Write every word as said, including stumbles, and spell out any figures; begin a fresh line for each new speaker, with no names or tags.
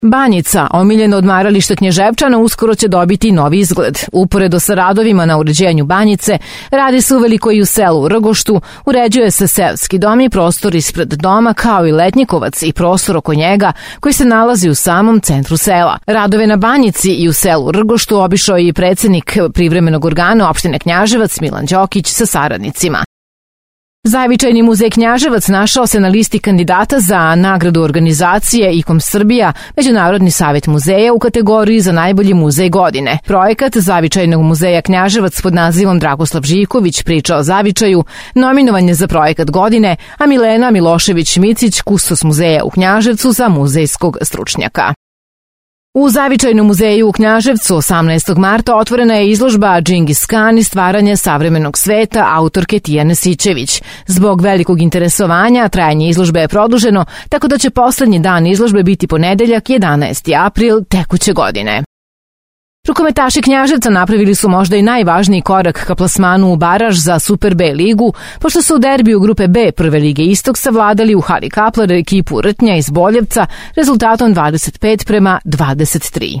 Banjica, omiljeno odmaralište Knjaževčana, uskoro će dobiti novi izgled. Uporedo sa radovima na uređenju Banjice, radi se uveliko i u selu Rgoštu, uređuje se seoski dom i prostor ispred doma, kao i letnjikovac i prostor oko njega koji se nalazi u samom centru sela. Radove na Banjici i u selu Rgoštu obišao je i predsednik privremenog organa opštine Knjaževac Milan Đokić sa saradnicima. Zavičajni muzej Knjaževac našao se na listi kandidata za nagradu organizacije I C O M Srbija, Međunarodni savet muzeja u kategoriji za najbolji muzej godine. Projekat Zavičajnog muzeja Knjaževac pod nazivom Dragoslav Živković priča o zavičaju, nominovan je za projekat godine, a Milena Milošević-Micić, kustos muzeja u Knjaževcu, za muzejskog stručnjaka. U Zavičajnom muzeju u Knjaževcu osamnaestog marta otvorena je izložba Džingis Kan i stvaranje savremenog sveta autorke Tijane Sićević. Zbog velikog interesovanja trajanje izložbe je produženo, tako da će poslednji dan izložbe biti ponedeljak jedanaesti april tekuće godine. Rukometaši Knjaževca napravili su možda i najvažniji korak ka plasmanu u baraž za Super B ligu, pošto su u derbiju grupe B Prve lige Istok savladali u hali Kaplar ekipu Rtnja iz Boljevca rezultatom dvadeset pet prema dvadeset tri.